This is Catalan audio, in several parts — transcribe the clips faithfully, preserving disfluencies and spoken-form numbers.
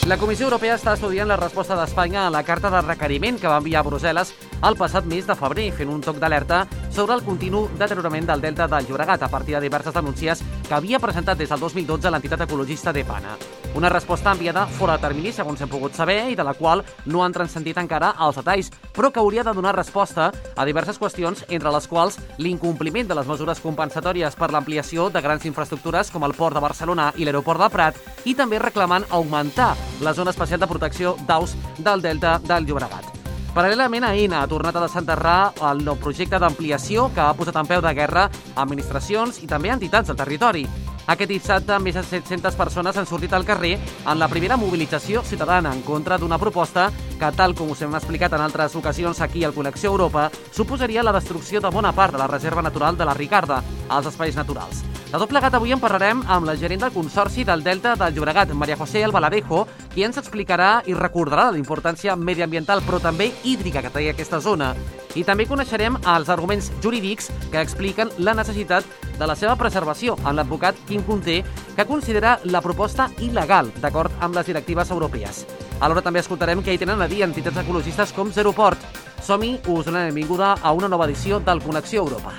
La Comissió Europea està estudiant la resposta d'Espanya a la carta de requeriment que va enviar a Brussel·les el passat mes de febrer, fent un toc d'alerta sobre el continu deteriorament del delta del Llobregat a partir de diverses denúncies que havia presentat des del dos mil dotze l'entitat ecologista DEPANA. Una resposta enviada fora de termini, segons hem pogut saber, i de la qual no han transcendit encara els detalls, però que hauria de donar resposta a diverses qüestions, entre les quals l'incompliment de les mesures compensatòries per l'ampliació de grans infraestructures com el Port de Barcelona i l'Aeroport del Prat, i també reclamant augmentar la zona especial de protecció d'aus del delta del Llobregat. Paral·lelament, Aena ha tornat a desenterrar el nou projecte d'ampliació que ha posat en peu de guerra administracions i també entitats del territori. Aquest dissabte, més de set-centes persones han sortit al carrer en la primera mobilització ciutadana en contra d'una proposta que, tal com us hem explicat en altres ocasions aquí al Connexió Europa, suposaria la destrucció de bona part de la reserva natural de la Ricarda, als espais naturals. De tot plegat, avui en parlarem amb la gerent del Consorci del Delta del Llobregat, María José Albaladejo, qui ens explicarà i recordarà la importància mediambiental però també hídrica que té aquesta zona. I també coneixerem els arguments jurídics que expliquen la necessitat de la seva preservació amb l'advocat Quim Conté, que considera la proposta il·legal, d'acord amb les directives europees. Alhora també escoltarem què hi tenen a dir entitats ecologistes com Zeroport. Som-hi, us donem la benvinguda a una nova edició del Connexió Europa.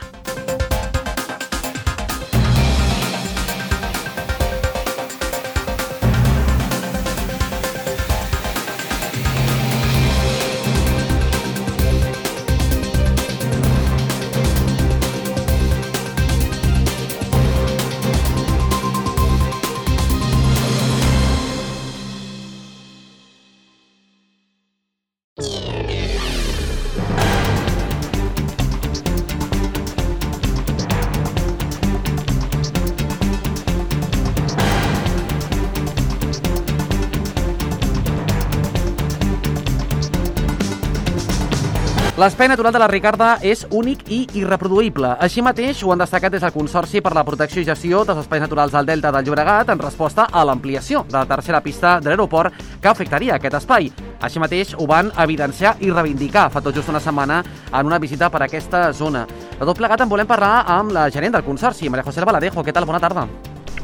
L'espai natural de la Ricarda és únic i irreproduïble. Així mateix ho han destacat des del Consorci per la Protecció i Gestió dels Espais Naturals del Delta del Llobregat en resposta a l'ampliació de la tercera pista de l'aeroport que afectaria aquest espai. Així mateix ho van evidenciar i reivindicar fa tot just una setmana en una visita per aquesta zona. De tot plegat en volem parlar amb la gerent del Consorci, María José Albaladejo. Què tal? Bona tarda.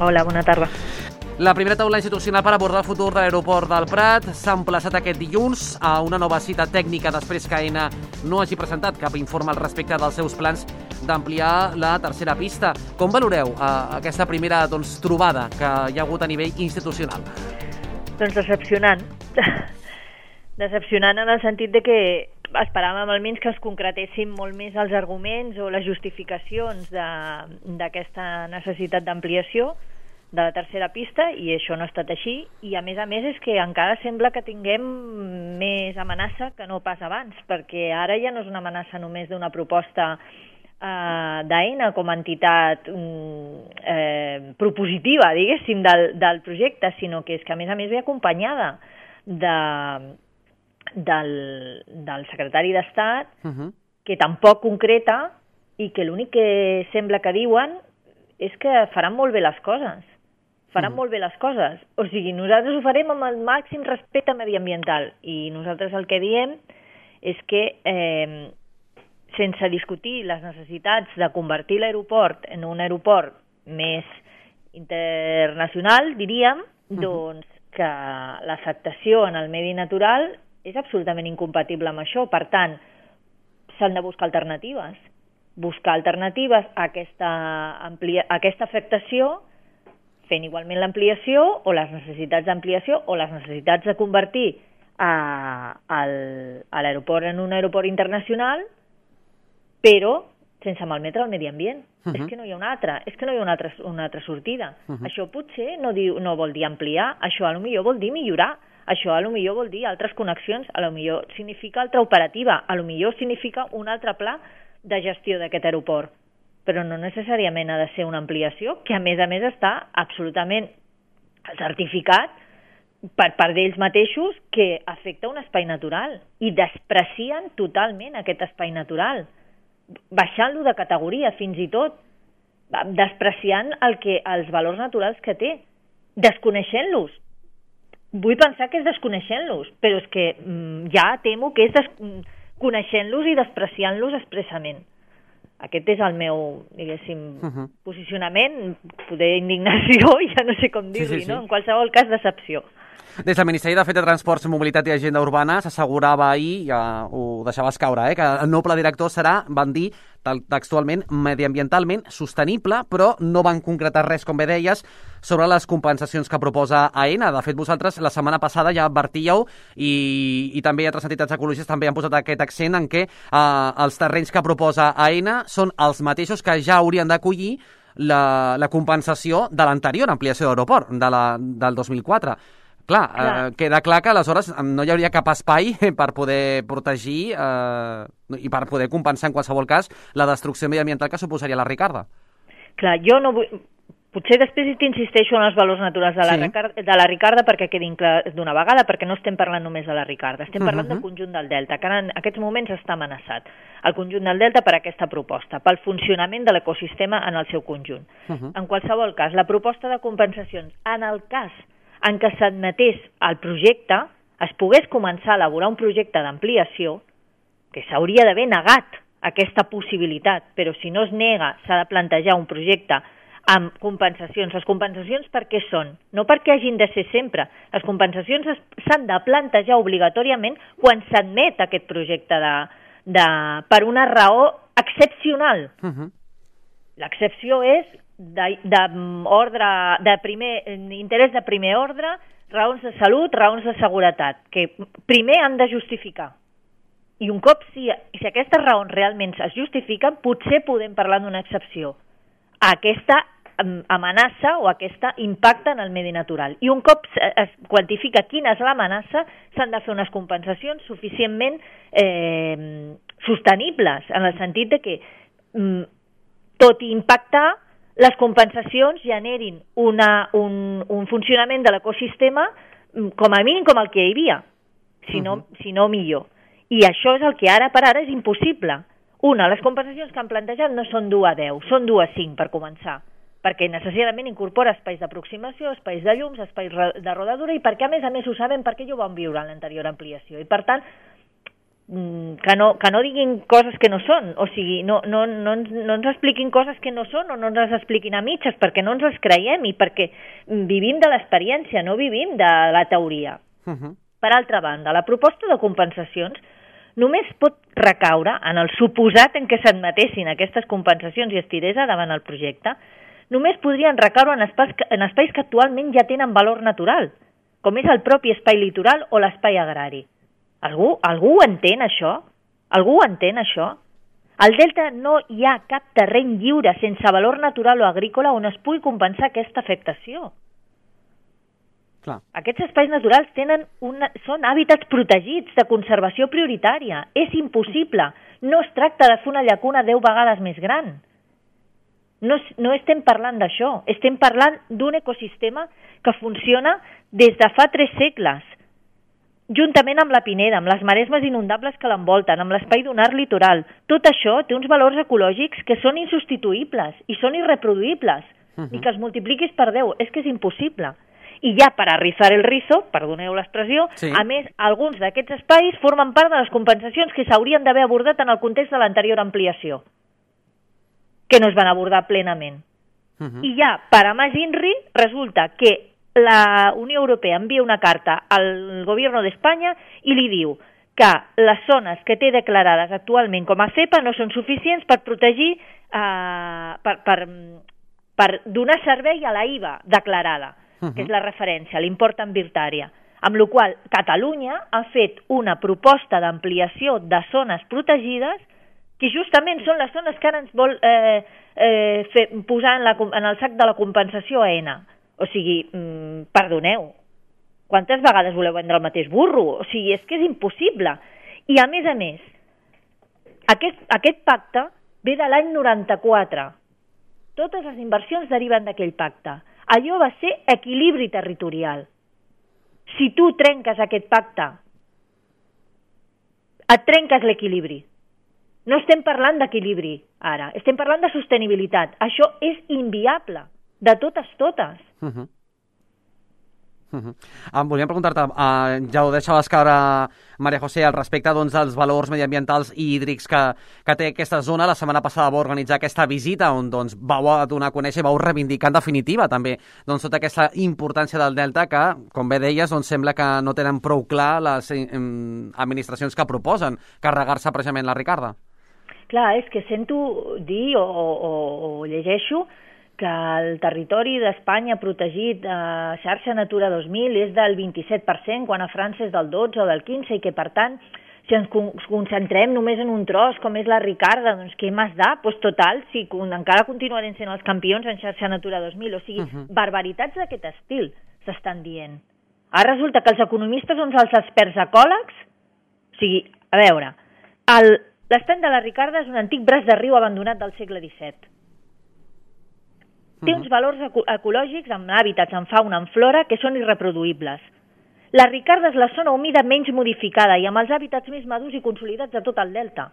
Hola, bona tarda. La primera taula institucional per abordar el futur de l'aeroport del Prat s'ha emplaçat aquest dilluns a una nova cita tècnica després que Aena no hagi presentat cap informe al respecte dels seus plans d'ampliar la tercera pista. Com valoreu eh, aquesta primera doncs, trobada que hi ha hagut a nivell institucional? Doncs decepcionant. Decepcionant en el sentit de que esperàvem almenys que es concretessin molt més els arguments o les justificacions d'aquesta necessitat d'ampliació de la tercera pista, i això no ha estat així, i a més a més és que encara sembla que tinguem més amenaça que no pas abans, perquè ara ja no és una amenaça només d'una proposta eh, d'Aena com a entitat eh, propositiva, diguéssim, del, del projecte, sinó que és que a més a més ve acompanyada de, del, del secretari d'Estat, uh-huh. que tampoc concreta i que l'únic que sembla que diuen és que faran molt bé les coses. faran mm. molt bé les coses. O sigui, nosaltres ho farem amb el màxim respecte mediambiental, i nosaltres el que diem és que eh, sense discutir les necessitats de convertir l'aeroport en un aeroport més internacional, diríem, mm-hmm. doncs que l'afectació en el medi natural és absolutament incompatible amb això. Per tant, s'han de buscar alternatives. Buscar alternatives a aquesta, amplia, a aquesta afectació, fent igualment l'ampliació o les necessitats d'ampliació o les necessitats de convertir a, al, a l'aeroport en un aeroport internacional, però sense malmetre el medi ambient. Uh-huh. És que no hi ha una altra, és que no hi ha una altra, una altra sortida. Uh-huh. Això potser no, diu, no vol dir ampliar, això a lo millor vol dir millorar, això a lo millor vol dir altres connexions, a lo millor significa altra operativa, a lo millor significa un altre pla de gestió d'aquest aeroport, però no necessàriament ha de ser una ampliació, que a més a més està absolutament certificat per part d'ells mateixos que afecta un espai natural i desprecien totalment aquest espai natural, baixant-lo de categoria fins i tot, despreciant el que, els valors naturals que té, desconeixent-los. Vull pensar que és desconeixent-los, però és que mm, ja temo que és des... coneixent-los i despreciant-los expressament. Aquest és el meu, diguéssim, uh-huh. posicionament, poder indignació, ja no sé com dir-li, sí, sí, sí. no? En qualsevol cas, decepció. Des del Ministeri de Fet de Transports, Mobilitat i Agenda Urbana s'assegurava ahir, ja ho deixaves caure, eh, que el nou pla director serà, van dir textualment, mediambientalment sostenible, però no van concretar res, com bé deies, sobre les compensacions que proposa AENA. De fet, vosaltres la setmana passada ja advertíeu i, i també altres entitats ecologistes també han posat aquest accent en què eh, els terrenys que proposa AENA són els mateixos que ja haurien d'acollir la, la compensació de l'anterior ampliació d'aeroport, de la, del dos mil quatre. Clar, clar. Eh, queda clar que aleshores no hi hauria cap espai per poder protegir eh, i per poder compensar en qualsevol cas la destrucció mediambiental que suposaria la Ricarda. Clar, jo no vull... Potser després t'insisteixo en els valors naturals de la, sí. Ricarda, de la Ricarda perquè quedin clar d'una vegada, perquè no estem parlant només de la Ricarda, estem parlant uh-huh. del conjunt del Delta, que en aquests moments està amenaçat. El conjunt del Delta per aquesta proposta, pel funcionament de l'ecosistema en el seu conjunt. Uh-huh. En qualsevol cas, la proposta de compensacions, en el cas en què s'admetés el projecte, es pogués començar a elaborar un projecte d'ampliació, que s'hauria d'haver negat aquesta possibilitat, però si no es nega, s'ha de plantejar un projecte amb compensacions. Les compensacions per què són? No perquè hagin de ser sempre. Les compensacions s'han de plantejar obligatòriament quan s'admet aquest projecte de, de, per una raó excepcional. Uh-huh. L'excepció és de, de, ordre, de primer, interès de primer ordre, raons de salut, raons de seguretat, que primer han de justificar. I un cop, si, si aquestes raons realment es justifiquen, potser podem parlar d'una excepció a aquesta amenaça o aquesta impacte en el medi natural. I un cop es quantifica quina és l'amenaça, s'han de fer unes compensacions suficientment eh, sostenibles, en el sentit de que, mm, tot i impactar, les compensacions generin una, un, un funcionament de l'ecosistema com a mínim com el que hi havia, si no, uh-huh. si no millor. I això és el que ara per ara és impossible. Una, les compensacions que han plantejat no són dues a deu, són dues a cinc per començar, perquè necessàriament incorpora espais d'aproximació, espais de llums, espais de rodadura, i perquè a més a més ho saben perquè ja ho vam viure en l'anterior ampliació. I per tant, que no, que no diguin coses que no són, o sigui, no, no, no, no ens expliquin coses que no són o no ens les expliquin a mitges, perquè no ens les creiem i perquè vivim de l'experiència, no vivim de la teoria. Uh-huh. Per altra banda, la proposta de compensacions només pot recaure en el suposat en què s'admetessin aquestes compensacions i es tirés davant el projecte, només podrien recaure en espais, en espais que actualment ja tenen valor natural, com és el propi espai litoral o l'espai agrari. Algú, algú entén això? Algú entén això? Al Delta no hi ha cap terreny lliure sense valor natural o agrícola on es pugui compensar aquesta afectació. Clar. Aquests espais naturals tenen una, són hàbitats protegits de conservació prioritària. És impossible. No es tracta de fer una llacuna deu vegades més gran. No, no estem parlant d'això. Estem parlant d'un ecosistema que funciona des de fa tres segles, juntament amb la Pineda, amb les maresmes inundables que l'envolten, amb l'espai dunar litoral. Tot això té uns valors ecològics que són insubstituïbles i són irreproduïbles. Uh-huh. I que els multipliquis per deu. És que és impossible. I ja per a rizar el rizo, perdoneu l'expressió, sí. A més, alguns d'aquests espais formen part de les compensacions que s'haurien d'haver abordat en el context de l'anterior ampliació, que no es van abordar plenament. Uh-huh. I ja, per a més INRI, resulta que la Unió Europea envia una carta al Gobierno d'Espanya i li diu que les zones que té declarades actualment com a cepa no són suficients per protegir, eh, per, per, per donar servei a la I V A declarada, uh-huh. que és la referència, l'import ambientària. Amb la qual cosa Catalunya ha fet una proposta d'ampliació de zones protegides que justament són les zones que ara ens vol eh, eh, fer, posar en, la, en el sac de la compensació AENA. O sigui, mmm, perdoneu, quantes vegades voleu vendre el mateix burro? O sigui, és que és impossible. I a més a més, aquest, aquest pacte ve de l'any noranta-quatre. Totes les inversions deriven d'aquell pacte. Allò va ser equilibri territorial. Si tu trenques aquest pacte, et trenques l'equilibri. No estem parlant d'equilibri ara, estem parlant de sostenibilitat. Això és inviable, de totes totes. Uh-huh. Uh -huh. Em volíem preguntar-te, uh, ja ho deixaves caure, Maria José, al respecte doncs, dels valors mediambientals i hídrics que, que té aquesta zona. La setmana passada vau organitzar aquesta visita on doncs, vau donar a conèixer i vau reivindicar en definitiva també doncs, tota aquesta importància del delta que, com bé deies, doncs, sembla que no tenen prou clar les eh, administracions que proposen carregar-se precisament la Ricarda. Clar, és que sento dir o, o, o llegeixo que el territori d'Espanya protegit a xarxa Natura dos mil és del vint-i-set per cent, quan a França és del dotze o del quinze, i que, per tant, si ens concentrem només en un tros, com és la Ricarda, doncs què més da? Doncs total, si encara continuarem sent els campions en xarxa Natura dos mil, o sigui, uh-huh. barbaritats d'aquest estil s'estan dient. Ara resulta que els economistes són els experts ecòlegs? O sigui, a veure, l'estany de la Ricarda és un antic braç de riu abandonat del segle disset. Té uns valors ecològics amb hàbitats, en fauna, en flora, que són irreproduïbles. La Ricarda és la zona humida menys modificada i amb els hàbitats més madurs i consolidats de tot el delta.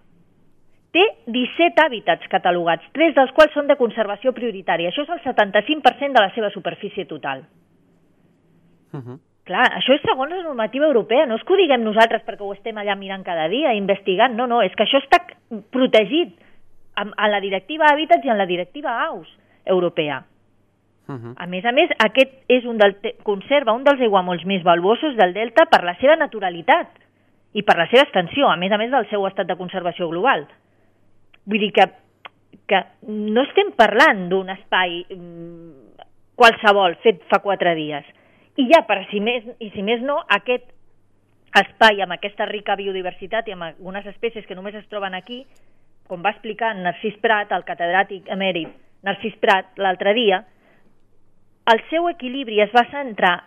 Té disset hàbitats catalogats, tres dels quals són de conservació prioritària. Això és el setanta-cinc per cent de la seva superfície total. Uh -huh. Clar, això és segons la normativa europea. No és que ho diguem nosaltres perquè ho estem allà mirant cada dia, investigant. No, no, és que això està protegit en la directiva Hàbitats i en la directiva Aus europea. Uh-huh. A més a més, aquest és un del, conserva un dels aiguamolls més valuosos del delta per la seva naturalitat i per la seva extensió, a més a més del seu estat de conservació global. Vull dir que, que no estem parlant d'un espai mm, qualsevol fet fa quatre dies. I ja, per si més, i si més no, aquest espai amb aquesta rica biodiversitat i amb algunes espècies que només es troben aquí, com va explicar Narcís Prat, el catedràtic emèrit Narcís Prat, l'altre dia, el seu equilibri es va centrar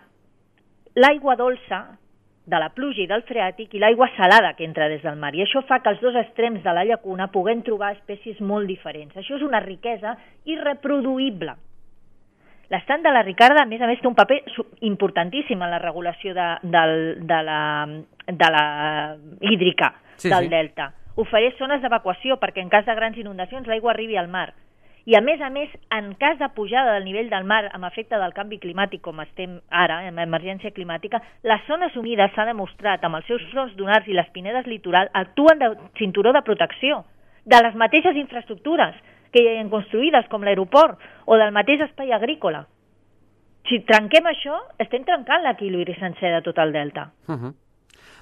l'aigua dolça de la pluja i del freàtic i l'aigua salada que entra des del mar. I això fa que els dos extrems de la llacuna puguem trobar espècies molt diferents. Això és una riquesa irreproduïble. L'estany de la Ricarda, a més a més, té un paper importantíssim en la regulació de, de, de, la, de la hídrica sí, del sí. delta. Ofereix zones d'evacuació perquè en cas de grans inundacions l'aigua arribi al mar. I a més a més, en cas de pujada del nivell del mar amb efecte del canvi climàtic, com estem ara, en emergència climàtica, les zones humides s'ha demostrat amb els seus fronts dunars i les pinedes litoral actuen de cinturó de protecció de les mateixes infraestructures que hi ha construïdes, com l'aeroport, o del mateix espai agrícola. Si trenquem això, estem trencant l'equilibri sencer de tot el delta. Uh-huh.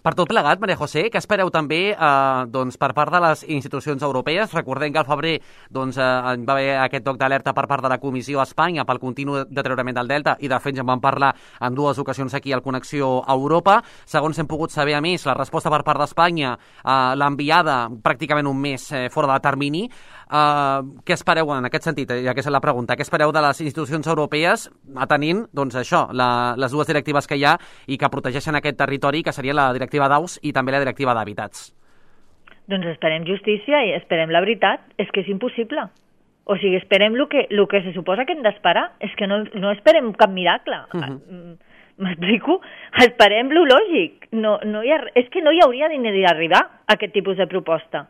Per tot plegat, Maria José, què espereu també eh, doncs, per part de les institucions europees? Recordem que al febrer doncs, eh, va haver aquest toc d'alerta per part de la Comissió a Espanya pel continu deteriorament del delta i de fet ja en vam parlar en dues ocasions aquí al Connexió Europa. Segons hem pogut saber, a més, la resposta per part d'Espanya eh, l'ha enviada pràcticament un mes eh, fora de termini. Eh, què espereu en aquest sentit? Ja que és la pregunta. Què espereu de les institucions europees atenint doncs, això, la, les dues directives que hi ha i que protegeixen aquest territori, que seria la directiva d'Aus i també la directiva d'Hàbitats? Doncs esperem justícia i esperem la veritat. És que és impossible. O sigui, esperem el que, el que se suposa que hem d'esperar. És que no, no esperem cap miracle. Uh-huh. M'explico? Esperem lo lògic. No, no hi ha, és que no hi hauria d'arribar a aquest tipus de proposta.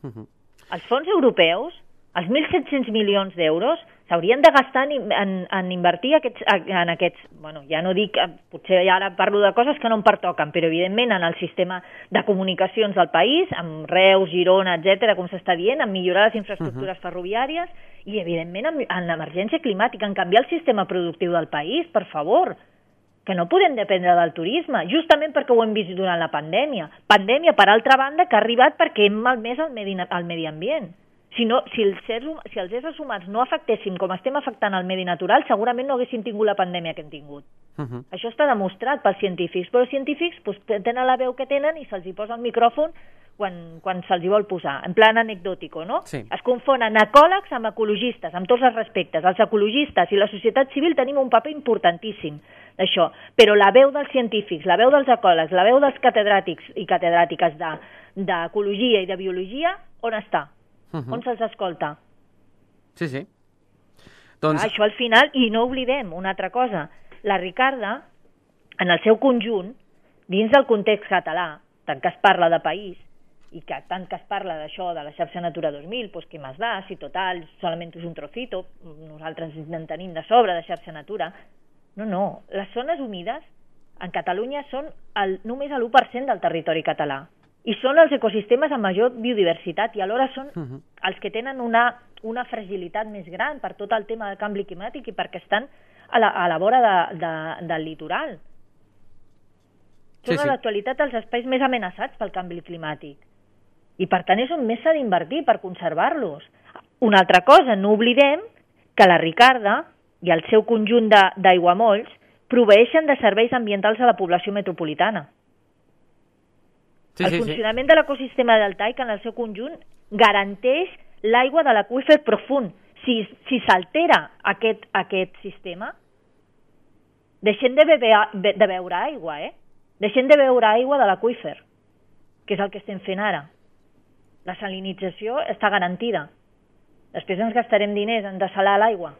Uh-huh. Els fons europeus, els mil set-cents milions d'euros, s'haurien de gastar en, en, en invertir aquests, en aquests, bueno, ja no dic, potser ja ara parlo de coses que no em pertoquen, però evidentment en el sistema de comunicacions del país, amb Reus, Girona, etcètera, com s'està dient, en millorar les infraestructures uh-huh. ferroviàries i evidentment en, en l'emergència climàtica, en canviar el sistema productiu del país, per favor, que no podem dependre del turisme, justament perquè ho hem vist durant la pandèmia. Pandèmia, per altra banda, que ha arribat perquè hem malmès el medi, el medi ambient. Si, no, si, els sers, si els éssers humans no afectéssim com estem afectant el medi natural, segurament no haguéssim tingut la pandèmia que hem tingut. Uh-huh. Això està demostrat pels científics, però els científics pues, tenen la veu que tenen i se'ls hi posa el micròfon quan, quan se'ls hi vol posar, en plan anecdòtico, no? Sí. Es confonen ecòlegs amb ecologistes, amb tots els respectes. Els ecologistes i la societat civil tenim un paper importantíssim d'això, però la veu dels científics, la veu dels ecòlegs, la veu dels catedràtics i catedràtiques d'ecologia i de biologia, on està? Uh-huh. On se'ls escolta? Sí, sí. Doncs... Ah, això al final, i no oblidem una altra cosa, la Ricarda, en el seu conjunt, dins del context català, tant que es parla de país, i que tant que es parla d'això, de la xarxa Natura dos mil, doncs què més da, si total, solament és un trocito, nosaltres en tenim de sobre de xarxa Natura, No, no. Les zones humides en Catalunya són el, només l'u per cent del territori català. I són els ecosistemes amb major biodiversitat i alhora són uh-huh. els que tenen una, una fragilitat més gran per tot el tema del canvi climàtic i perquè estan a la, a la vora de, de, del litoral. Són sí, sí. a l'actualitat els espais més amenaçats pel canvi climàtic. I per tant és on més s'ha d'invertir per conservar-los. Una altra cosa, no oblidem que la Ricarda i el seu conjunt d'aiguamolls proveeixen de serveis ambientals a la població metropolitana. Sí, el sí, funcionament sí. de l'ecosistema deltaic en el seu conjunt garanteix l'aigua de l'aqüífer profund. Si, si s'altera aquest, aquest sistema, deixem de, beber, de beure aigua, eh? Deixem de beure aigua de l'aqüífer, que és el que estem fent ara. La salinització està garantida. Després ens gastarem diners en desalar l'aigua.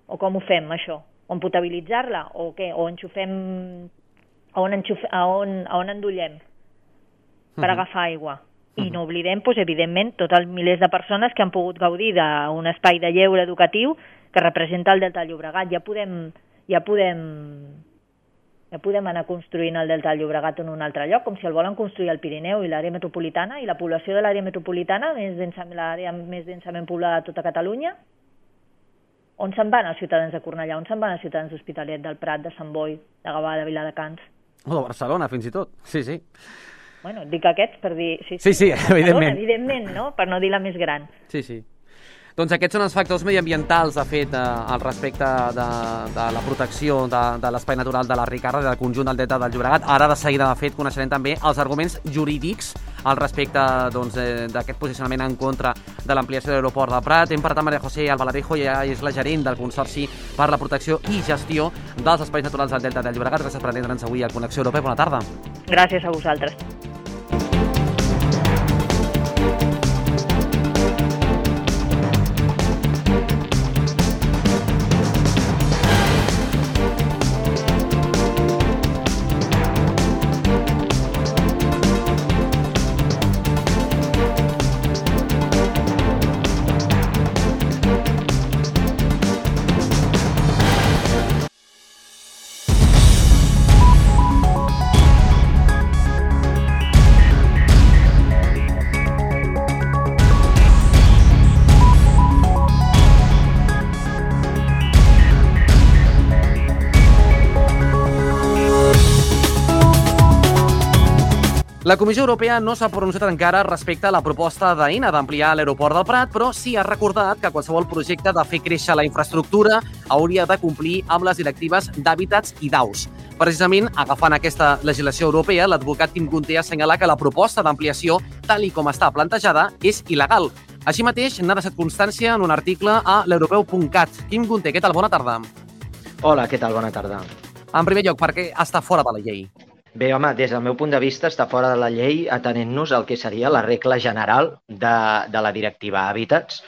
O com ho fem, això? O en potabilitzar-la? O què? O enxufem... On, enxufe... on, on endollem per uh-huh. agafar aigua? I uh-huh. no oblidem, doncs, evidentment, tots els milers de persones que han pogut gaudir d'un espai de lleure educatiu que representa el Delta del Llobregat. Ja podem, ja podem, ja podem anar construint el Delta del Llobregat en un altre lloc, com si el volen construir al Pirineu i l'àrea metropolitana, i la població de l'àrea metropolitana, l'àrea més densament poblada de tota Catalunya. On se'n van els ciutadans de Cornellà? On se'n van els ciutadans d'Hospitalet, del Prat, de Sant Boi, de Gavà, de Viladecans? O de Barcelona, fins i tot. Sí, sí. Bueno, dic aquests per dir... Sí, sí, sí, sí evidentment. Evidentment, no? Per no dir la més gran. Sí, sí. Doncs aquests són els factors mediambientals, de fet, eh, al respecte de, de la protecció de, de l'espai natural de la Ricarda, del conjunt del Delta del Llobregat. Ara, de seguida, de fet, coneixerem també els arguments jurídics al respecte doncs, eh, d'aquest posicionament en contra de l'ampliació de l'aeroport del Prat. Hem parlat amb Maria José Albaladejo, ja és la gerent del Consorci per la Protecció i Gestió dels Espais Naturals del Delta del Llobregat. Gràcies per atendre'ns avui a Connexió Europea. Bona tarda. Gràcies a vosaltres. La Comissió Europea no s'ha pronunciat encara respecte a la proposta d'Aena d'ampliar l'aeroport del Prat, però sí ha recordat que qualsevol projecte de fer créixer la infraestructura hauria de complir amb les directives d'hàbitats i d'aus. Precisament, agafant aquesta legislació europea, l'advocat Quim Gunté assenyala que la proposta d'ampliació, tal i com està plantejada, és il·legal. Així mateix, n'ha deixat constància en un article a l'europeu punt cat. Quim Gunté, què tal? Bona tarda. Hola, què tal? Bona tarda. En primer lloc, per què està fora de la llei? Bé, home, des del meu punt de vista està fora de la llei atenent-nos al que seria la regla general de, de la directiva Hàbitats,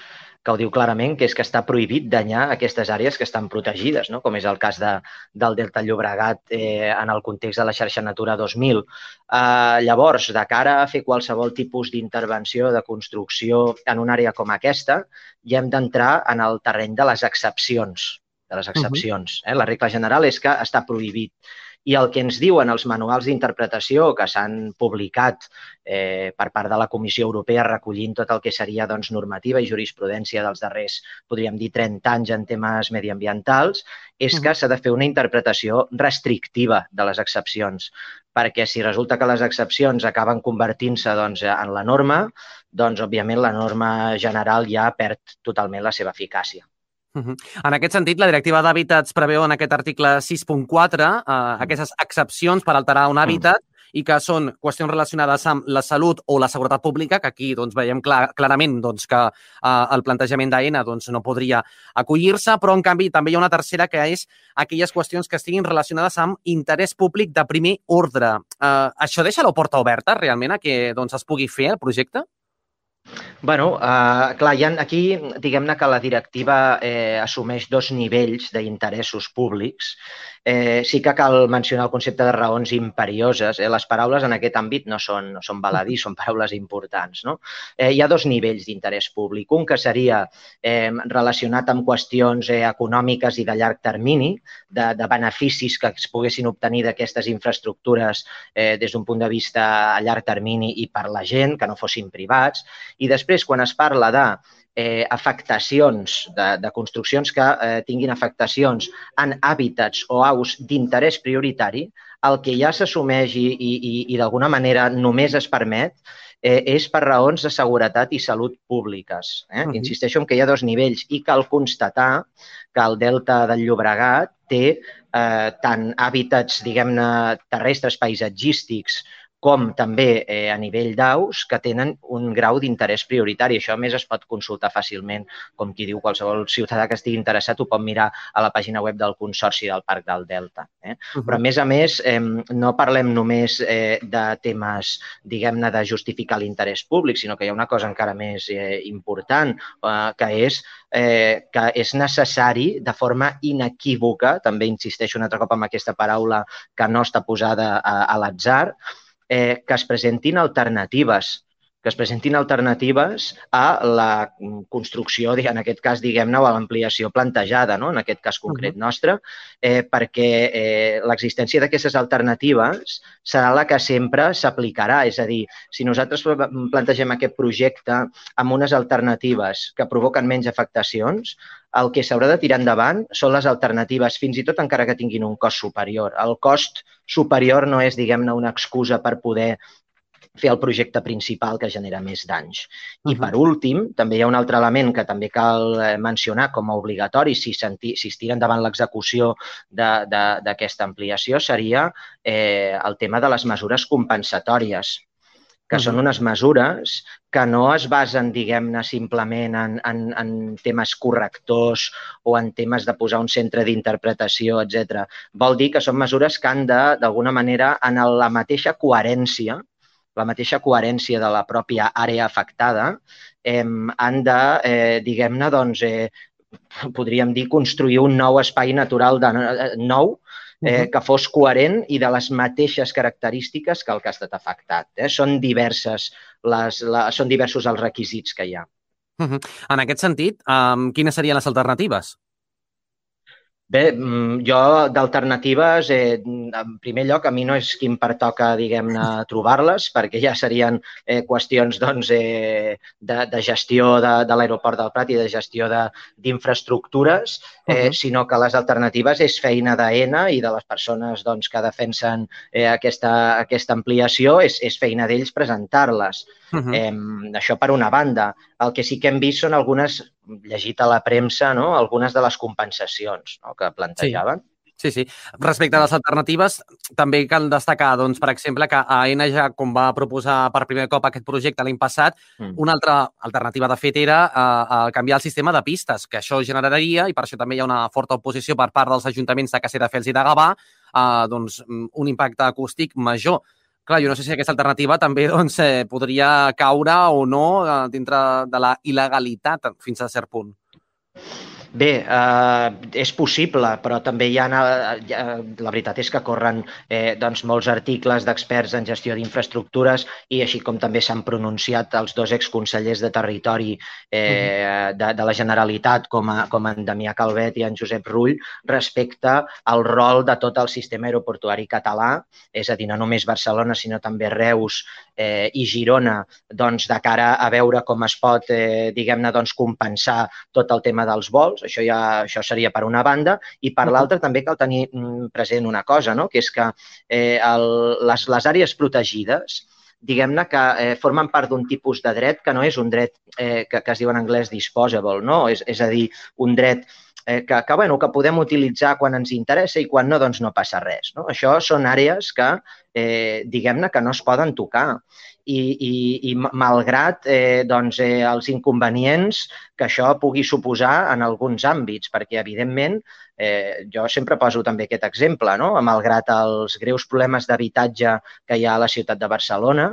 que ho diu clarament, que és que està prohibit danyar aquestes àrees que estan protegides, no? Com és el cas de, del Delta Llobregat eh, en el context de la xarxa Natura dos mil. Eh, llavors, de cara a fer qualsevol tipus d'intervenció, de construcció en una àrea com aquesta, ja hem d'entrar en el terreny de les excepcions. De les excepcions. Uh-huh. eh? La regla general és que està prohibit. I el que ens diuen els manuals d'interpretació que s'han publicat eh, per part de la Comissió Europea recollint tot el que seria doncs, normativa i jurisprudència dels darrers, podríem dir, trenta anys en temes mediambientals, és que s'ha de fer una interpretació restrictiva de les excepcions, perquè si resulta que les excepcions acaben convertint-se doncs, en la norma, doncs, òbviament, la norma general ja perd totalment la seva eficàcia. Uh-huh. En aquest sentit, la directiva d'hàbitats preveu en aquest article sis punt quatre eh, aquestes excepcions per alterar un hàbitat i que són qüestions relacionades amb la salut o la seguretat pública, que aquí doncs, veiem clar, clarament doncs, que eh, el plantejament d'Aena doncs, no podria acollir-se, però en canvi també hi ha una tercera que és aquelles qüestions que estiguin relacionades amb interès públic de primer ordre. Eh, això deixa la porta oberta realment a que doncs, es pugui fer el projecte? Bueno, uh, clar, hi ha, aquí diguem-ne que la directiva eh, assumeix dos nivells d'interessos públics. Eh, sí que cal mencionar el concepte de raons imperioses. Eh? Les paraules en aquest àmbit no són, no són baladí, són paraules importants. No? Eh, hi ha dos nivells d'interès públic. Un que seria eh, relacionat amb qüestions eh, econòmiques i de llarg termini, de, de beneficis que es poguessin obtenir d'aquestes infraestructures eh, des d'un punt de vista a llarg termini i per la gent, que no fossin privats. I després, quan es parla de eh, afectacions, de, de construccions que eh, tinguin afectacions en hàbitats o aus d'interès prioritari, el que ja s'assumeix i, i, i d'alguna manera només es permet eh, és per raons de seguretat i salut públiques. Eh? Uh-huh. Insisteixo en que hi ha dos nivells i cal constatar que el delta del Llobregat té eh, tant hàbitats, diguem-ne, terrestres paisatgístics com també eh, a nivell d'aus que tenen un grau d'interès prioritari. Això, a més, es pot consultar fàcilment, com qui diu, qualsevol ciutadà que estigui interessat ho pot mirar a la pàgina web del Consorci del Parc del Delta. Eh? Uh-huh. Però, a més a més, eh, no parlem només eh, de temes, diguem-ne, de justificar l'interès públic, sinó que hi ha una cosa encara més eh, important, eh, que és eh, que és necessari, de forma inequívoca, també insisteixo un altre cop amb aquesta paraula que no està posada a, a l'atzar, Eh, que es presentin alternatives, que es presentin alternatives a la construcció, en aquest cas, diguem-ne, o a l'ampliació plantejada, no? En aquest cas concret nostre, eh, perquè eh, l'existència d'aquestes alternatives serà la que sempre s'aplicarà. És a dir, si nosaltres plantegem aquest projecte amb unes alternatives que provoquen menys afectacions, el que s'haurà de tirar endavant són les alternatives, fins i tot encara que tinguin un cost superior. El cost superior no és, diguem-ne, una excusa per poder fer el projecte principal que genera més danys. I, per últim, també hi ha un altre element que també cal mencionar com a obligatori si, senti, si es tira endavant l'execució d'aquesta ampliació, seria eh, el tema de les mesures compensatòries, que uh-huh. són unes mesures que no es basen, diguem-ne, simplement en, en, en temes correctors o en temes de posar un centre d'interpretació, etcètera. Vol dir que són mesures que han de, d'alguna manera, en la mateixa coherència, la mateixa coherència de la pròpia àrea afectada, eh, han de, eh, diguem-ne, doncs, eh, podríem dir, construir un nou espai natural de, eh, nou, Eh, que fos coherent i de les mateixes característiques que el que ha estat afectat. Eh? Són, diverses les, la, són diversos els requisits que hi ha. Uh-huh. En aquest sentit, um, quines serien les alternatives? Bé, jo d'alternatives, eh, en primer lloc, a mi no és qui em pertoca, diguem-ne, trobar-les, perquè ja serien eh, qüestions doncs, eh, de, de gestió de, de l'aeroport del Prat i de gestió d'infraestructures, eh, uh-huh. sinó que les alternatives és feina d'AENA i de les persones doncs, que defensen eh, aquesta, aquesta ampliació, és, és feina d'ells presentar-les. Uh-huh. Eh, això per una banda. El que sí que hem vist són algunes, llegit a la premsa, no? Algunes de les compensacions, no? Que plantejaven. Sí, sí. Respecte a les alternatives, també cal destacar, doncs, per exemple, que AENA ja, com va proposar per primer cop aquest projecte l'any passat, mm. una altra alternativa, de fet, era uh, canviar el sistema de pistes, que això generaria, i per això també hi ha una forta oposició per part dels ajuntaments de Castelldefels i de Gavà, uh, doncs, un impacte acústic major. Clar, jo no sé si aquesta alternativa també doncs, eh, podria caure o no eh, dintre de la il·legalitat fins a cert punt. Bé, eh, és possible, però també hi ha, hi ha la veritat és que corren eh, doncs, molts articles d'experts en gestió d'infraestructures i així com també s'han pronunciat els dos exconsellers de Territori eh, de, de la Generalitat, com, a, com en Damià Calvet i en Josep Rull, respecte al rol de tot el sistema aeroportuari català, és a dir, no només Barcelona, sinó també Reus eh, i Girona, doncs, de cara a veure com es pot, eh, diguem-ne, doncs, compensar tot el tema dels vols. Això, ja, això seria per una banda, i per l'altra també cal tenir present una cosa, no? Que és que eh, el, les, les àrees protegides, diguem-ne que eh, formen part d'un tipus de dret que no és un dret eh, que, que es diu en anglès disposable, no? És, és a dir, un dret eh, que, que, bueno, que podem utilitzar quan ens interessa i quan no, doncs no passa res. No? Això són àrees que, eh, diguem-ne, que no es poden tocar. I, i, i malgrat eh, doncs, eh, els inconvenients que això pugui suposar en alguns àmbits, perquè, evidentment, eh, jo sempre poso també aquest exemple, no? Malgrat els greus problemes d'habitatge que hi ha a la ciutat de Barcelona,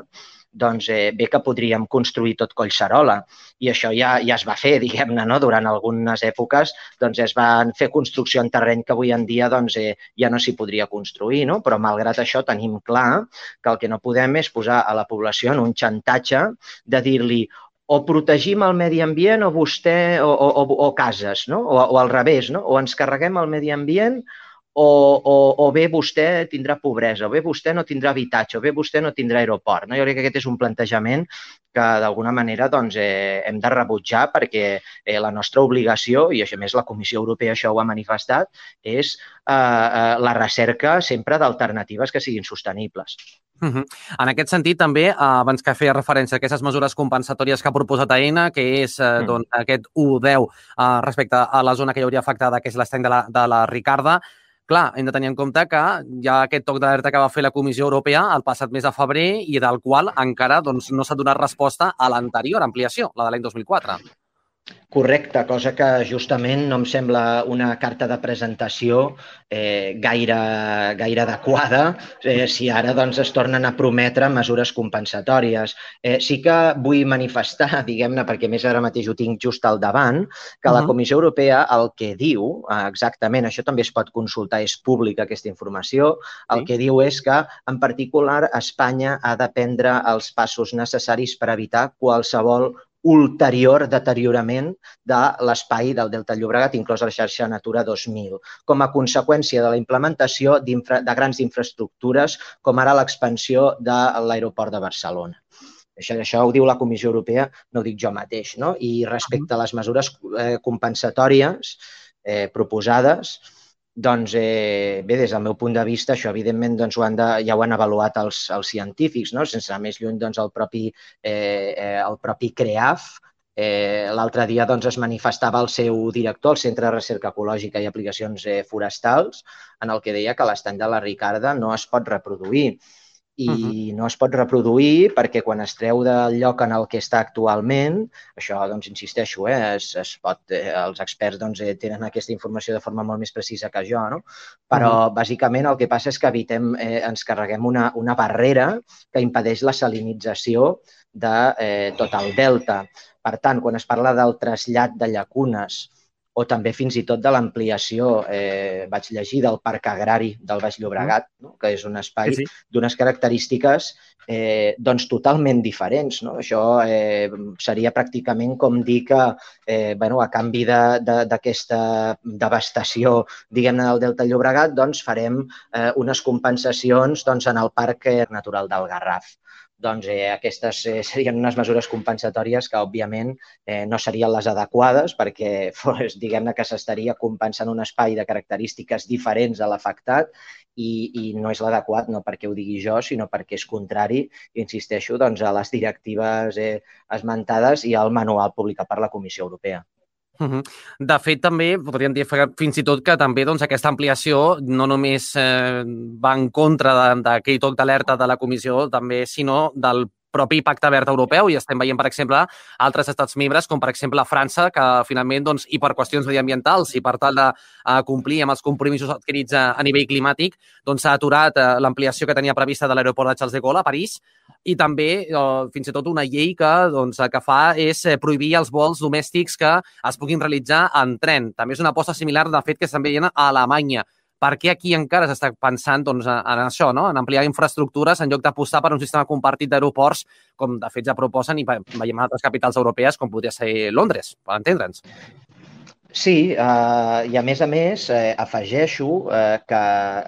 doncs eh, bé que podríem construir tot Collserola. I això ja, ja es va fer, diguem-ne, no? Durant algunes èpoques doncs es van fer construcció en terreny que avui en dia doncs, eh, ja no s'hi podria construir, no? Però malgrat això tenim clar que el que no podem és posar a la població en un xantatge de dir-li o protegim el medi ambient o vostè, o, o, o cases, no? O, o al revés, no? O ens carreguem el medi ambient o, o, o bé vostè tindrà pobresa, o bé vostè no tindrà habitatge, o bé vostè no tindrà aeroport. No? Jo crec que aquest és un plantejament que d'alguna manera doncs, eh, hem de rebutjar perquè eh, la nostra obligació, i a més la Comissió Europea això ho ha manifestat, és eh, eh, la recerca sempre d'alternatives que siguin sostenibles. Uh -huh. En aquest sentit, també, abans que feia referència a aquestes mesures compensatòries que ha proposat Aena, que és eh, mm. doncs, aquest u deu eh, respecte a la zona que hi hauria afectada, que és l'estany de, la, de la Ricarda, clar, hem de tenir en compte que hi ha aquest toc d'alerta que va fer la Comissió Europea el passat mes de febrer i del qual encara doncs, no s'ha donat resposta a l'anterior ampliació, la de l'any dos mil quatre. Correcte, cosa que justament no em sembla una carta de presentació eh, gaire, gaire adequada eh, si ara doncs, es tornen a prometre mesures compensatòries. Eh, sí que vull manifestar, diguem-ne, perquè més ara mateix ho tinc just al davant, que uh -huh. la Comissió Europea el que diu, eh, exactament, això també es pot consultar, és pública aquesta informació, el sí. que diu és que, en particular, Espanya ha de prendre els passos necessaris per evitar qualsevol ulterior deteriorament de l'espai del Delta Llobregat, inclòs la xarxa Natura dos mil, com a conseqüència de la implementació de grans infraestructures, com ara l'expansió de l'aeroport de Barcelona. Això, això ho diu la Comissió Europea, no ho dic jo mateix, no? I respecte a les mesures eh, compensatòries eh, proposades, doncs, eh, bé, des del meu punt de vista, això, evidentment, doncs, ho han de, ja ho han avaluat els, els científics, no? Sense anar més lluny, doncs, el propi, eh, eh, el propi CREAF. Eh, L'altre dia doncs, es manifestava el seu director, el Centre de Recerca Ecològica i Aplicacions eh, Forestals, en el que deia que l'estany de la Ricarda no es pot reproduir. I uh-huh. no es pot reproduir perquè quan es treu del lloc en el que està actualment, això, doncs, insisteixo, eh, es, es pot, eh, els experts doncs, eh, tenen aquesta informació de forma molt més precisa que jo, no? Però, uh-huh. bàsicament, el que passa és que evitem, eh, ens carreguem una, una barrera que impedeix la salinització de eh, tot el delta. Per tant, quan es parla del trasllat de llacunes o també fins i tot de l'ampliació, eh, vaig llegir, del Parc Agrari del Baix Llobregat, no? Que és un espai sí, sí. d'unes característiques eh, doncs totalment diferents. No? Això eh, seria pràcticament com dir que eh, bueno, a canvi d'aquesta de, de, devastació diguem-ne del Delta Llobregat doncs farem eh, unes compensacions doncs, en el Parc Natural del Garraf. Doncs eh, aquestes eh, serien unes mesures compensatòries que, òbviament, eh, no serien les adequades perquè fos, diguem-ne, que s'estaria compensant un espai de característiques diferents a l'afectat i, i no és l'adequat, no perquè ho digui jo, sinó perquè és contrari, insisteixo, doncs, a les directives eh, esmentades i al manual publicat per la Comissió Europea. Uh-huh. De fet, també podríem dir fins i tot que també doncs, aquesta ampliació no només eh, va en contra d'aquell toc d'alerta de la Comissió, també, sinó del propi Pacte Verd Europeu, i estem veient, per exemple, altres estats membres, com per exemple França, que finalment, doncs, i per qüestions mediambientals i per tal de uh, complir amb els compromisos adquirits a, a nivell climàtic, doncs s'ha aturat uh, l'ampliació que tenia prevista de l'aeroport de Charles de Gaulle a París, i també uh, fins i tot una llei que, doncs, que fa és eh, prohibir els vols domèstics que es puguin realitzar en tren. També és una aposta similar, de fet, que estan veient a Alemanya. Per què aquí encara s'està pensant doncs, en això, no? En ampliar infraestructures en lloc d'apostar per un sistema compartit d'aeroports, com de fet ja proposen i veiem altres capitals europees, com podria ser Londres, per entendre'ns. Sí, eh, i a més a més eh, afegeixo eh, que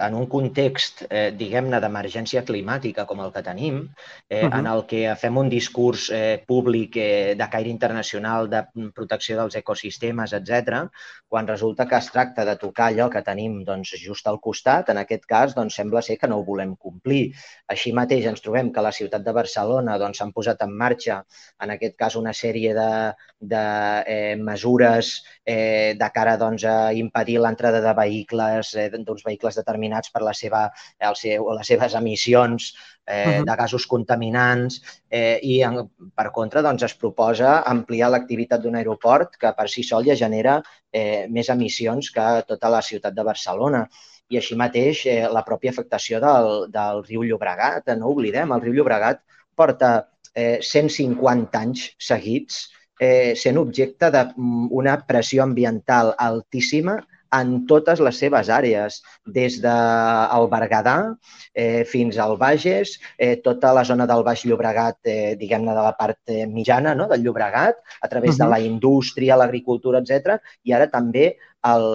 en un context, eh, diguem-ne, d'emergència climàtica com el que tenim, eh, uh-huh. en el que fem un discurs eh, públic eh, de caire internacional de protecció dels ecosistemes, etcètera, quan resulta que es tracta de tocar allò que tenim doncs, just al costat, en aquest cas doncs, sembla ser que no ho volem complir. Així mateix ens trobem que a la ciutat de Barcelona doncs, s'han posat en marxa, en aquest cas, una sèrie de, de eh, mesures eh, de cara doncs, a impedir l'entrada de vehicles, eh, d'uns vehicles determinats per la seva, el seu, les seves emissions eh, uh-huh. de gasos contaminants eh, i, en, per contra, doncs, es proposa ampliar l'activitat d'un aeroport que per si sol ja genera eh, més emissions que tota la ciutat de Barcelona. I així mateix eh, la pròpia afectació del, del riu Llobregat. No oblidem, el riu Llobregat porta eh, cent cinquanta anys seguits eh, sent objecte d'una pressió ambiental altíssima en totes les seves àrees, des del Berguedà eh, fins al Bages, eh, tota la zona del Baix Llobregat, eh, diguem-ne de la part eh, mitjana, no?, del Llobregat, a través uh-huh. de la indústria, l'agricultura, etcètera, i ara també el,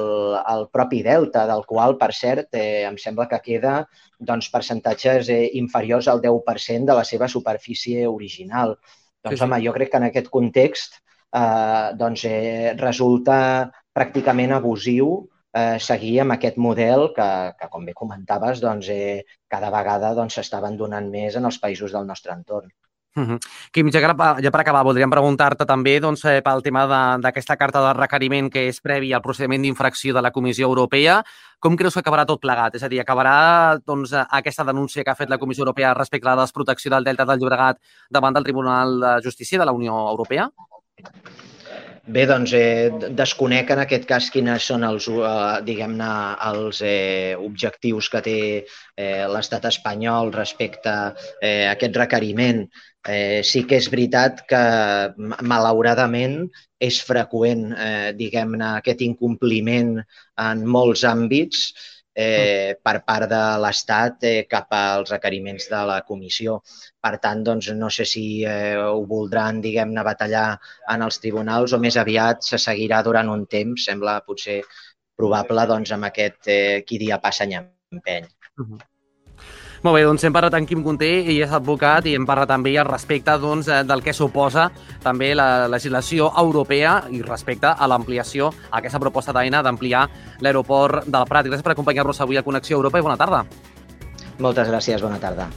el propi delta, del qual, per cert, eh, em sembla que queda doncs, percentatges eh, inferiors al deu per cent de la seva superfície original. Doncs, sí, sí. home, jo crec que en aquest context eh, doncs, eh, resulta pràcticament abusiu eh, seguir amb aquest model que, que com bé comentaves, doncs, eh, cada vegada doncs, s'està abandonant més en els països del nostre entorn. Uh-huh. Quim, ja, ja per acabar, voldríem preguntar-te també doncs, eh, pel tema d'aquesta carta de requeriment que és previ al procediment d'infracció de la Comissió Europea. Com creus que acabarà tot plegat? És a dir, acabarà doncs, aquesta denúncia que ha fet la Comissió Europea respecte a la desprotecció del Delta del Llobregat davant del Tribunal de Justícia de la Unió Europea? Bé, doncs eh, desconec en aquest cas quines són els, eh, diguem-ne, els eh, objectius que té eh, l'estat espanyol respecte eh, a aquest requeriment. Eh, sí que és veritat que, malauradament, és freqüent, eh, diguem-ne, aquest incompliment en molts àmbits eh, per part de l'Estat eh, cap als requeriments de la Comissió. Per tant, doncs, no sé si eh, ho voldran, diguem-ne, batallar en els tribunals o més aviat se seguirà durant un temps, sembla potser probable, doncs, amb aquest eh, qui dia passa any empeny. Uh-huh. Molt bé, doncs hem parlat amb Quim Gunté, ell és advocat i hem parlat també al respecte doncs, del que suposa també la legislació europea i respecte a l'ampliació, a aquesta proposta d'Aena d'ampliar l'aeroport del Prat. Gràcies per acompanyar-nos avui a Connexió Europa i bona tarda. Moltes gràcies, bona tarda.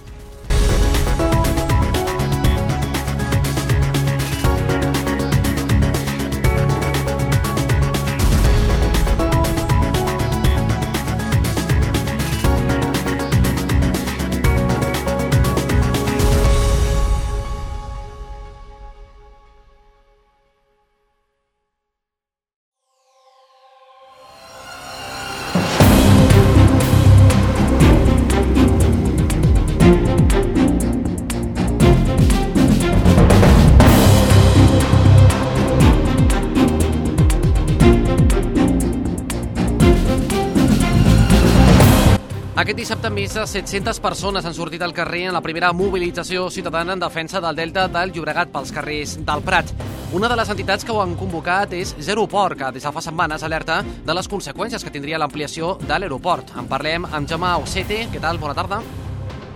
Aquest dissabte més de set-centes persones han sortit al carrer en la primera mobilització ciutadana en defensa del Delta del Llobregat pels carrers del Prat. Una de les entitats que ho han convocat és Zeroport, que des de fa setmanes alerta de les conseqüències que tindria l'ampliació de l'aeroport. En parlem amb Jaume Ocete. Què tal? Bona tarda.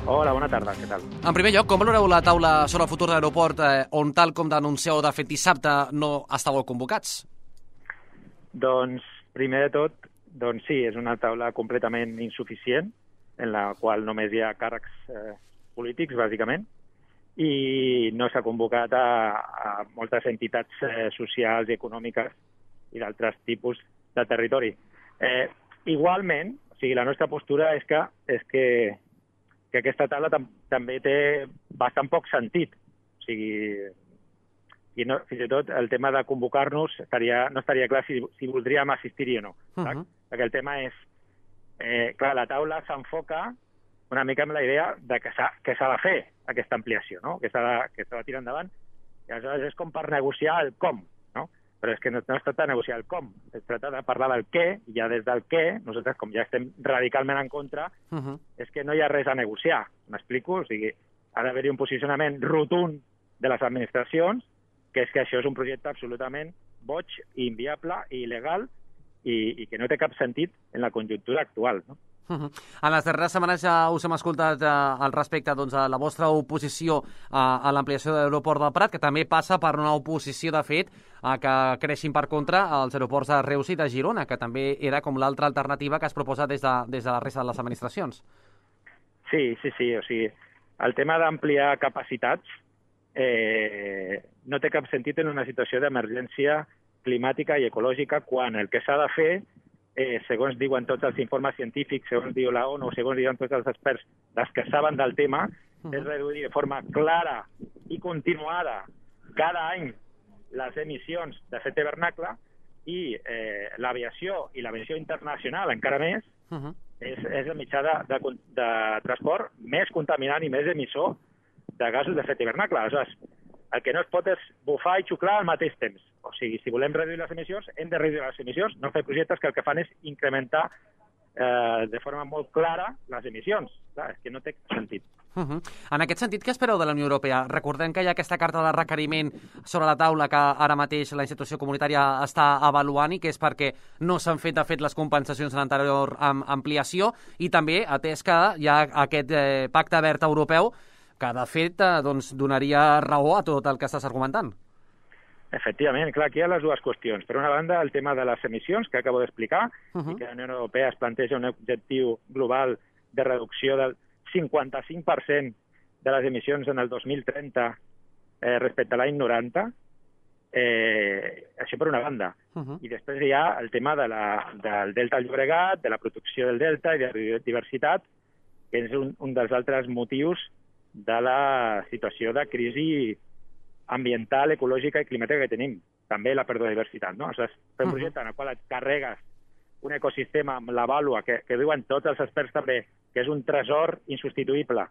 Hola, bona tarda. Què tal? En primer lloc, com valoreu la taula sobre el futur de l'aeroport eh, on, tal com denuncieu de fet dissabte, no estàveu convocats? Doncs, primer de tot, doncs sí, és una taula completament insuficient, en la qual només hi ha càrrecs eh, polítics, bàsicament, i no s'ha convocat a, a moltes entitats eh, socials i econòmiques i d'altres tipus de territori. Eh, igualment, o sigui, la nostra postura és que, és que, que aquesta taula tam també té bastant poc sentit. O sigui, i no, fins i tot el tema de convocar-nos estaria, no estaria clar si, si voldríem assistir-hi o no. Uh -huh. Perquè el tema és, eh, clar, la taula s'enfoca una mica amb la idea de que s'ha de fer aquesta ampliació, no? que s'ha de, que s'ha de tirar endavant. I aleshores és com per negociar el com, no? Però és que no, no es tracta de negociar el com, es tracta de parlar del què, i ja des del què, nosaltres com ja estem radicalment en contra, uh -huh. és que no hi ha res a negociar, m'explico? O sigui, ha d'haver-hi un posicionament rotund de les administracions, que és que això és un projecte absolutament boig, inviable i il·legal, i, i que no té cap sentit en la conjuntura actual, no? Uh-huh. En les darreres setmanes ja us hem escoltat eh, al respecte doncs, a la vostra oposició a, a l'ampliació de l'aeroport del Prat, que també passa per una oposició, de fet, a que creixin per contra els aeroports de Reus i de Girona, que també era com l'altra alternativa que es proposa des de, des de la resta de les administracions. Sí, sí, sí. O sigui, el tema d'ampliar capacitats eh, no té cap sentit en una situació d'emergència climàtica i ecològica, quan el que s'ha de fer, eh, segons diuen tots els informes científics, segons diu la ONU, segons diuen tots els experts, dels que saben del tema, uh-huh. és reduir de forma clara i continuada cada any les emissions d'efecte hivernacle, i eh, l'aviació i l'aviació internacional encara més, uh-huh. és, és el mitjà de, de, de transport més contaminant i més emissor de gasos d'efecte hivernacle. Aleshores, el que no es pot és bufar i xuclar al mateix temps. O sigui, si volem reduir les emissions, hem de reduir les emissions, no fer projectes que el que fan és incrementar eh, de forma molt clara les emissions. Clar, és que no té sentit. Uh -huh. En aquest sentit, què espereu de la Unió Europea? Recordem que hi ha aquesta carta de requeriment sobre la taula que ara mateix la institució comunitària està avaluant i que és perquè no s'han fet, de fet, les compensacions en l'anterior ampliació i també atès que hi ha aquest eh, pacte verd europeu que, de fet, eh, doncs, donaria raó a tot el que estàs argumentant. Efectivament, clar, aquí hi ha les dues qüestions. Per una banda, el tema de les emissions, que acabo d'explicar, uh -huh. i que la Unió Europea es planteja un objectiu global de reducció del cinquanta-cinc per cent de les emissions en el dos mil trenta eh, respecte a l'any noranta. Eh, això per una banda. Uh -huh. I després hi ha el tema de la, del Delta del Llobregat, de la protecció del Delta i de la biodiversitat, que és un, un dels altres motius de la situació de crisi ambiental, ecològica i climàtica que tenim. També la pèrdua de diversitat, no? O sigui, fer un projecte en el qual et carregues un ecosistema amb la vàlua, que, que diuen tots els experts també, que és un tresor insubstituïble.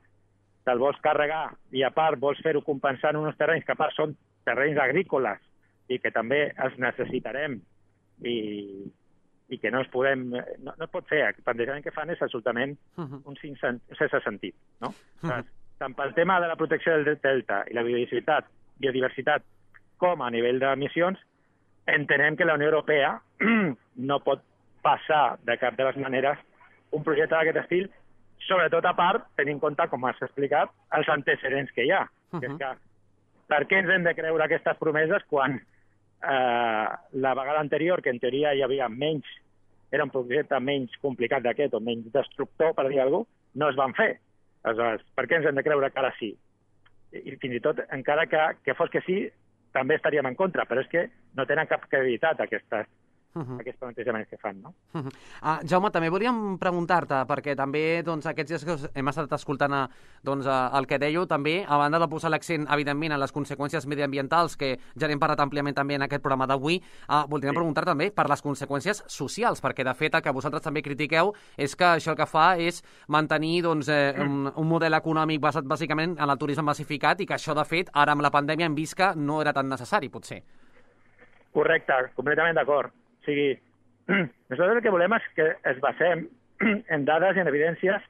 Te'l vols carregar i a part vols fer-ho compensant uns terrenys que a part són terrenys agrícoles i que també els necessitarem i, i que no es podem... No, no es pot fer. El plantejament que fan és absolutament un sense sentit, no? O sigui, tant pel tema de la protecció del delta i la biodiversitat, biodiversitat com a nivell d'emissions, entenem que la Unió Europea no pot passar de cap de les maneres un projecte d'aquest estil, sobretot a part, tenint en compte, com has explicat, els antecedents que hi ha. Uh-huh. Que és que, per què ens hem de creure aquestes promeses quan eh, la vegada anterior, que en teoria hi havia menys, era un projecte menys complicat d'aquest o menys destructor, per dir alguna cosa, no es van fer. Aleshores, per què ens hem de creure que ara sí? I fins i tot, encara que, que fos que sí, també estaríem en contra, però és que no tenen cap credibilitat aquestes, uh-huh. aquests plantejaments que fan, no? Uh-huh. uh, Jaume, també volíem preguntar-te, perquè també doncs, aquests dies que hem estat escoltant a, doncs, a, el que dèieu, també, a banda de posar l'accent, evidentment, en les conseqüències mediambientals, que ja n'hem parlat àmpliament també en aquest programa d'avui, uh, voldríem sí. preguntar també per les conseqüències socials, perquè de fet el que vosaltres també critiqueu és que això el que fa és mantenir doncs, eh, un, un model econòmic basat bàsicament en el turisme massificat i que això, de fet, ara amb la pandèmia hem vist que no era tan necessari, potser. Correcte, completament d'acord. O sigui, nosaltres el que volem és que es basem en dades i en evidències,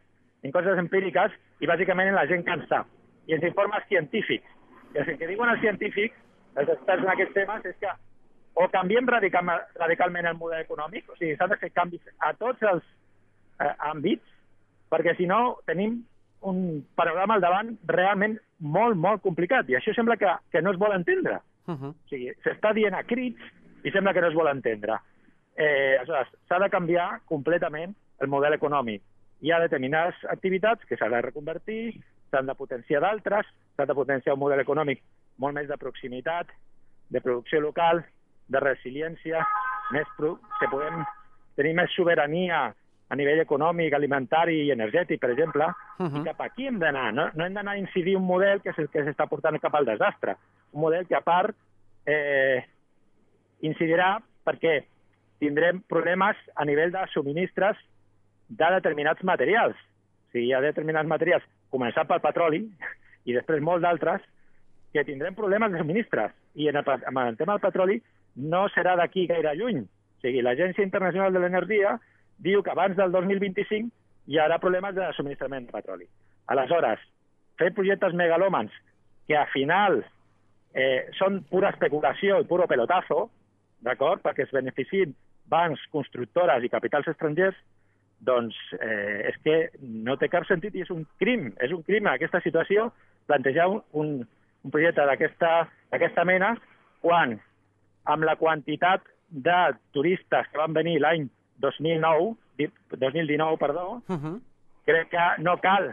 en coses empíriques i bàsicament en la gent que en sap. I en informes científics. I el que diuen els científics, els experts en aquests temes, és que o canviem radical, radicalment el model econòmic, o sigui, s'han de fer canvis a tots els eh, àmbits, perquè si no tenim un panorama al davant realment molt, molt complicat. I això sembla que, que no es vol entendre. Uh-huh. O sigui, s'està dient a crits i sembla que no es vol entendre. Eh, aleshores, s'ha de canviar completament el model econòmic. Hi ha determinades activitats que s'ha de reconvertir, s'han de potenciar d'altres, s'ha de potenciar un model econòmic molt més de proximitat, de producció local, de resiliència, més pro... que podem tenir més sobirania a nivell econòmic, alimentari i energètic, per exemple, uh-huh. i cap aquí hem d'anar. No, no hem d'anar a incidir un model que és el que s'està portant cap al desastre. Un model que, a part, eh, incidirà perquè tindrem problemes a nivell de subministres de determinats materials. O sigui, hi ha determinats materials, començant pel petroli i després molts d'altres, que tindrem problemes de subministres. I en el, en el tema del petroli no serà d'aquí gaire lluny. O sigui, l'Agència Internacional de l'Energia diu que abans del dos mil vint-i-cinc hi haurà problemes de subministrament de petroli. Aleshores, fer projectes megalòmans que al final eh, són pura especulació i puro pelotazo, d'acord, perquè es beneficien bancs, constructores i capitals estrangers, doncs eh, és que no té cap sentit i és un crim, és un crim en aquesta situació plantejar un, un projecte d'aquesta mena quan amb la quantitat de turistes que van venir l'any dos mil nou, dos mil dinou, perdó, uh-huh. crec que no cal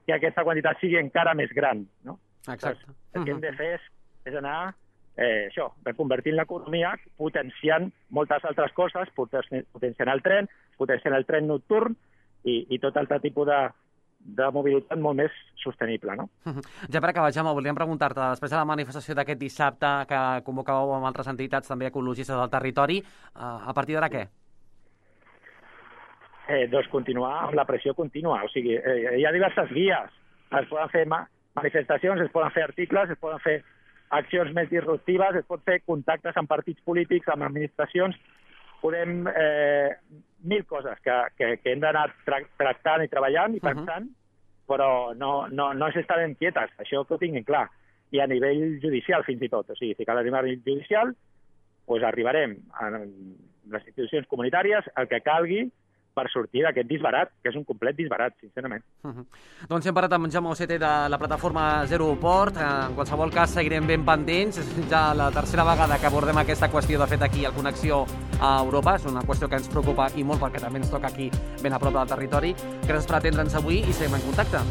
que aquesta quantitat sigui encara més gran, no? Exacte. Doncs, el que hem de fer és, és anar eh, això, reconvertint l'economia, potenciant moltes altres coses, potenciant el tren, potenciant el tren nocturn i, i tot altre tipus de, de mobilitat molt més sostenible, no? Uh-huh. Ja per acabar, Jaume, volíem preguntar-te, després de la manifestació d'aquest dissabte que convocàveu amb altres entitats també ecologistes del territori, a partir d'ara què? Eh, doncs continuar amb la pressió contínua. O sigui, eh, hi ha diverses vies. Es poden fer manifestacions, es poden fer articles, es poden fer accions més disruptives, es pot fer contactes amb partits polítics, amb administracions, podem... Eh, mil coses que, que, que hem d'anar tra tractant i treballant i pensant, uh-huh. però no, no, no s'estan quietes, això que ho tinguin clar. I a nivell judicial, fins i tot. O sigui, si cal arribar a nivell judicial, doncs arribarem a les institucions comunitàries el que calgui per sortir d'aquest disbarat, que és un complet disbarat, sincerament. Uh-huh. Doncs hem parlat amb Jaume Ocete de la plataforma Zero Port. En qualsevol cas, seguirem ben pendents. És ja la tercera vegada que abordem aquesta qüestió, de fet, aquí al Connexió a Europa. És una qüestió que ens preocupa i molt perquè també ens toca aquí ben a prop del territori. Gràcies per atendre'ns avui i seguim en contacte.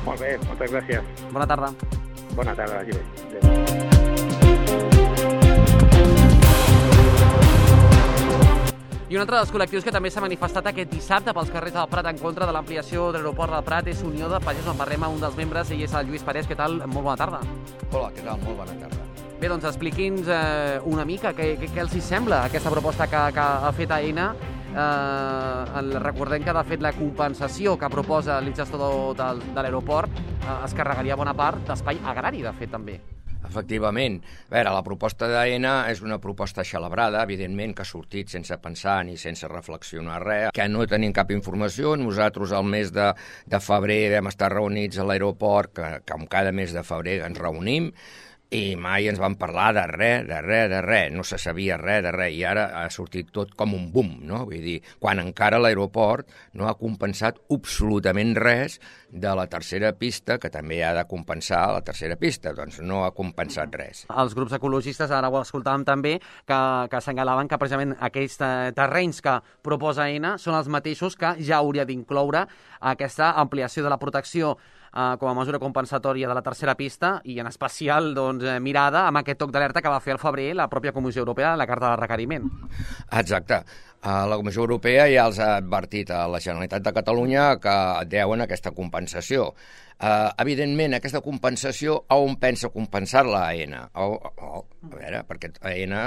Molt bé, moltes gràcies. Bona tarda. Bona tarda, vagi bé. Adéu. I un altre dels col·lectius que també s'ha manifestat aquest dissabte pels carrers del Prat en contra de l'ampliació de l'aeroport del Prat és Unió de Pagesos. En parlem amb un dels membres, ell és el Lluís Parés. Què tal? Molt bona tarda. Hola, què tal? Molt bona tarda. Bé, doncs expliqui'ns eh, una mica què, què, què els hi sembla aquesta proposta que, que ha fet Aena. Eh, recordem que, de fet, la compensació que proposa el gestor de, de l'aeroport eh, es carregaria bona part d'espai agrari, de fet, també. Efectivament. A veure, la proposta d'Aena és una proposta celebrada, evidentment, que ha sortit sense pensar ni sense reflexionar res, que no tenim cap informació. Nosaltres al mes de, de febrer vam estar reunits a l'aeroport, que, que com cada mes de febrer ens reunim, i mai ens van parlar de res, de res, de res, no se sabia res de res, i ara ha sortit tot com un boom, no? Vull dir, quan encara l'aeroport no ha compensat absolutament res de la tercera pista, que també ha de compensar la tercera pista, doncs no ha compensat res. Els grups ecologistes, ara ho escoltàvem també, que, que assenyalaven que precisament aquells terrenys que proposa Aena són els mateixos que ja hauria d'incloure aquesta ampliació de la protecció Uh, com a mesura compensatòria de la tercera pista i en especial doncs, eh, mirada amb aquest toc d'alerta que va fer al febrer la pròpia Comissió Europea en la carta de requeriment. Exacte. Uh, la Comissió Europea ja els ha advertit a la Generalitat de Catalunya que deuen aquesta compensació. Uh, evidentment, aquesta compensació, a on pensa compensar-la Aena? A, a, a veure, perquè Aena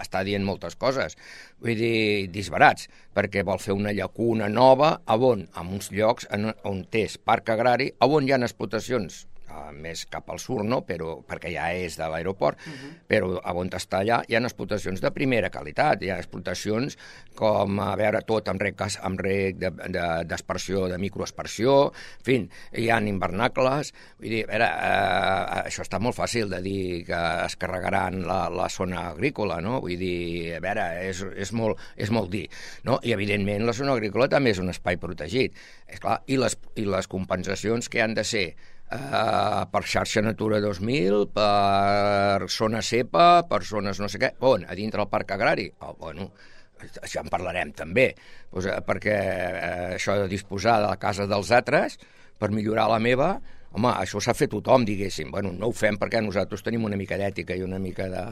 està dient moltes coses, vull dir, disbarats, perquè vol fer una llacuna nova a on, en uns llocs en, on és parc agrari, a on hi ha explotacions uh, més cap al sud, no? Però, perquè ja és de l'aeroport, uh-huh. Però a on està allà hi ha explotacions de primera qualitat, hi ha explotacions com, a veure, tot amb rec, amb rec d'aspersió, de, de, de microaspersió, en fi, hi ha invernacles, vull dir, a veure, eh, això està molt fàcil de dir que es carregaran la, la zona agrícola, no? Vull dir, a veure, és, és, molt, és molt dir, no? I evidentment la zona agrícola també és un espai protegit, és clar, i les, i les compensacions que han de ser Uh, per xarxa Natura dos mil, per zona cepa, per zones no sé què, on? A dintre del parc agrari? Oh, bueno, això en parlarem també, pues, uh, perquè uh, això de disposar de la casa dels altres per millorar la meva, home, això s'ha fet tothom, diguéssim. Bueno, no ho fem perquè nosaltres tenim una mica d'ètica i una mica de,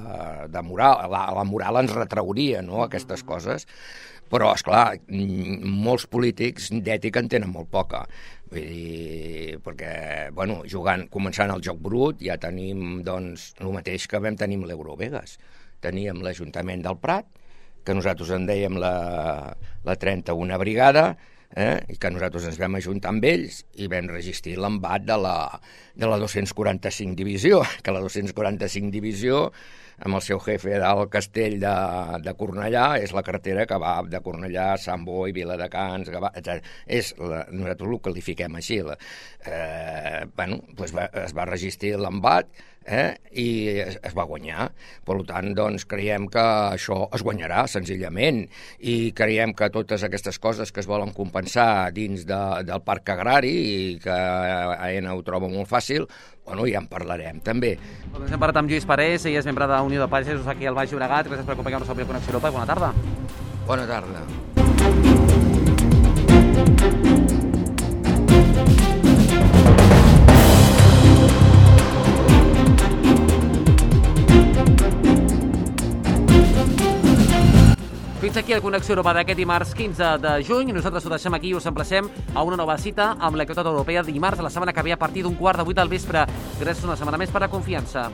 de moral. La, la moral ens retrauria, no?, aquestes coses. Però, esclar, molts polítics d'ètica en tenen molt poca. Vull dir, perquè, bueno, jugant, començant el joc brut, ja tenim, doncs, el mateix que vam tenir amb l'Eurovegas. Teníem l'Ajuntament del Prat, que nosaltres en dèiem la, la trenta-una brigada, eh? I que nosaltres ens vam ajuntar amb ells i vam resistir l'embat de la, de la dos-cents quaranta-cinc divisió, que la dos-cents quaranta-cinc divisió, amb el seu jefe del castell de, de Cornellà, és la carretera que va de Cornellà, Sant Boi, Viladecans, Gavà, etcètera. És la, nosaltres ho qualifiquem així. La, eh, bueno, doncs va, es va resistir l'embat, eh, i es, es va guanyar. Per tant, doncs, creiem que això es guanyarà, senzillament, i creiem que totes aquestes coses que es volen compensar dins de, del parc agrari i que Aena ho troba molt fàcil, bueno, ja en parlarem, també. Doncs hem parlat amb Lluís Parés, ell és membre de Unió de Pagesos aquí al Baix Llobregat. Gràcies per acompanyar-nos avui a Connexió Europa i bona tarda. Bona tarda. Fins aquí el Connexió Europa d'aquest dimarts quinze de juny. Nosaltres ho deixem aquí i us emplacem a una nova cita amb l'actualitat europea dimarts a la setmana que ve a partir d'un quart de vuit del vespre. Gràcies una setmana més per la confiança.